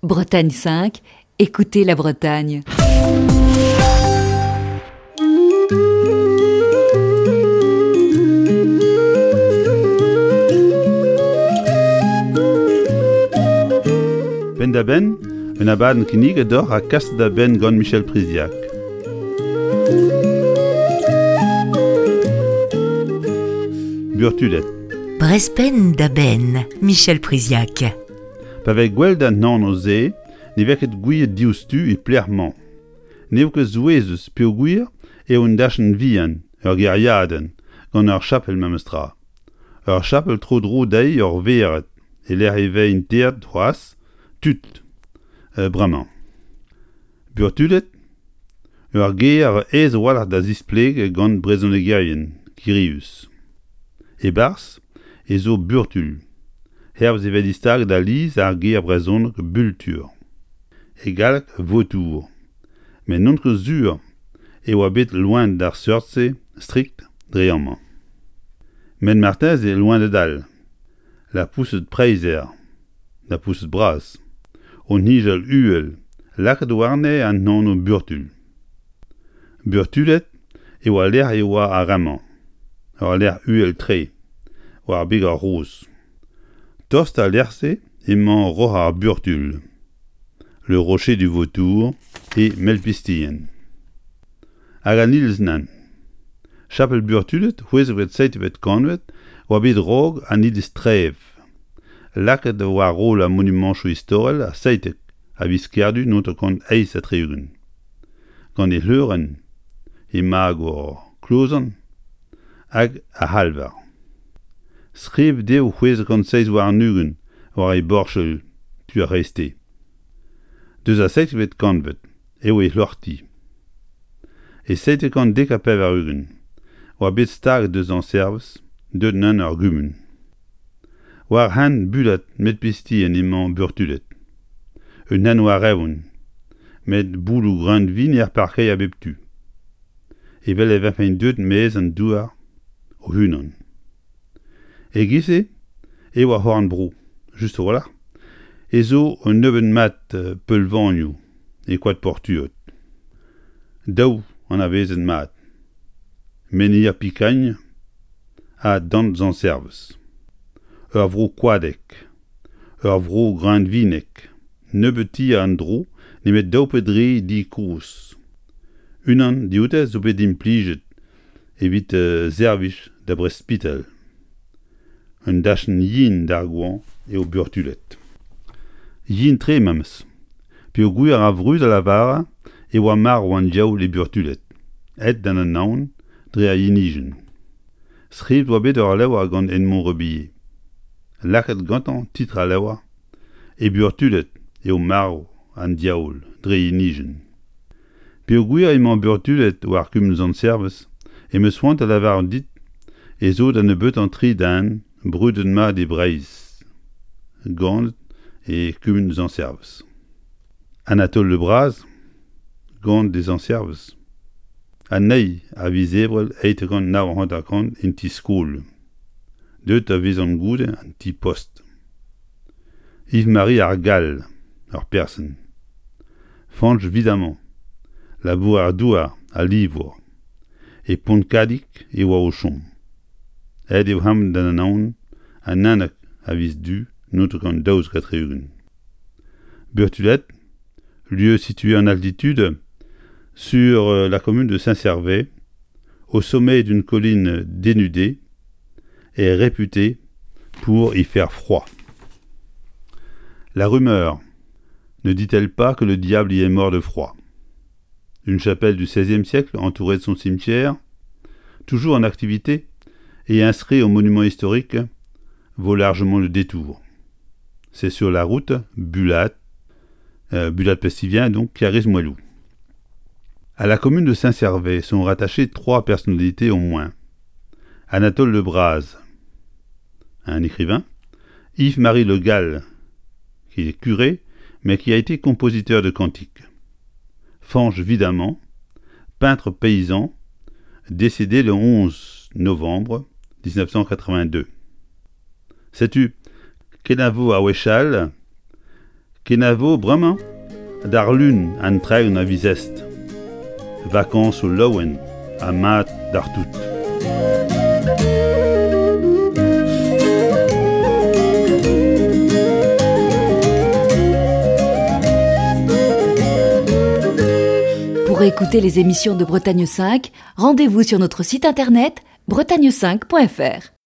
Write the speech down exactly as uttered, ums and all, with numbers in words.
Bretagne cinq, écoutez la Bretagne. Penn-da-benn, un abadenn kinniget deoc'h ha kaset da benn gant Michel Priziac. Burtuled. Brezh penn da benn, Michel Priziac. Pa vez gwelet an anv-se ne vez ket gouiet diouzhtu e pelec'h emañ. N'eo ket souezhus peogwir eo un dachenn vihan, ur gêriadenn, gant ur chapel memestra. Ur chapel tro-dro dezhi ur vered e-lec'h e vez interet c'hoazh tud bremañ. Burtuled, ur ger aes a-walc'h da zisplegañ gant brezhonegerien kirius. E-barzh ez zo burtul, hervez e vez distaget alies ar ger brezhonek bultur. E galleg vautour, met n'on ket sur e oa bet loened ar seurt-se strikt dre amañ. Met marteze loened all, lapoused preizher, lapoused bras, o nijal uhel, lakaet warne an anv burtul. Burtuled eo al lec'h e oa ar re-mañ, ur lec'h uhel-tre, war beg ar roz. Tost d'al lec'h-se emañ Roc'h ar Burtul, le rocher du Vautour e Melpistien. Hag an iliz nann. Chapel Burtuled, c'hwezekvet seizhvet kantved, oa bet raok an iliz Trev. Lakaet war roll ar monumantoù istorel ar seitek a viz Kerdu naontek eizh ha tri-ugent. Gant e c'hleurenn, he magor klozan hag ar c'halvar. Skrivet eo c'hwezek kant seizh warn-ugent war e borchel tu ar c'hreisteiz. Deus ar seizhvet kantved eo e c'hloc'hti. E seitek kant dek ha pevar-ugent oa bet staget deus an Servez deuet neuze ur gumun. War hent Bulad Melpistien emañ Burtuled. Un hent war-eeun, met bouloù greunvin er parkeier a bep tu. Evel e vefent deuet maez an douar o-unan. E-giz-se eo ar c'horn-bro, just a-walc'h, ez zo un nebeud mat peulvanioù e koad Portuod. Daou anavezet mat, Menhir Pikagn ha Dant Sant-Servez. Ur vro koadek, ur vro greunvinek, nebeut tier en-dro nemet daou pe dri di kozh. Unan dioute zo bet implijet evit servij da brespital. Un dachenn yen d'ar goañv eo Burtuled. Yen-tre memes, peogwir ar vrud a lavare e oa marv an diaoul e Burtuled, aet d'an anaon dre ar yenijenn. Skrivet oa bet ur levr gant Edmond Rebillet. Lakaet gantañ titl al levr e Burtuled eo marv an diaoul dre yenijenn. Peogwir emañ Burtuled war kumun Sant-Servez em eus c'hoant da lavarout dit ez zo da nebeutañ tri den brudet-mat e Breizh, ganet e kumun Sant-Servez. Anatole Le Braz, ganet e Sant-Servez. An eil a viz Ebrel eizh kant nav hanter-kant en ti-skol. Deuet da vezañ goude an ti-post. Yves-Marie ar Gall, ur person. Fañch Vidamant, labourer-douar ha livour. E Pontkadig e oa o chom. Aet eo amañ d'an anaon an unnek a viz Du naontek kant daouzek ha tri-ugent. Burtuled, lieu situé en altitude sur la commune de Saint-Servais, au sommet d'une colline dénudée, est réputé pour y faire froid. La rumeur ne dit-elle pas que le diable y est mort de froid? Une chapelle du seizième siècle entourée de son cimetière, toujours en activité et inscrit au monument historique, vaut largement le détour. C'est sur la route Bulat, euh, Bulat-Pestivien, donc Kergrist-Moellou. À la commune de Saint-Servais sont rattachées trois personnalités au moins. Anatole Le Braz, un écrivain, Yves-Marie Le Gall, qui est curé, mais qui a été compositeur de cantiques. Fañch Vidamant, peintre paysan, décédé le onze novembre dix-neuf cent quatre-vingt-deux. Setu kenavo a wechall, Kenavo bremañ d'ar lun an tregont a viz Est. Vakañsoù laouen ha mat d'ar tout. Pour écouter les émissions de Bretagne cinq, rendez-vous sur notre site internet bretagne cinq point F R.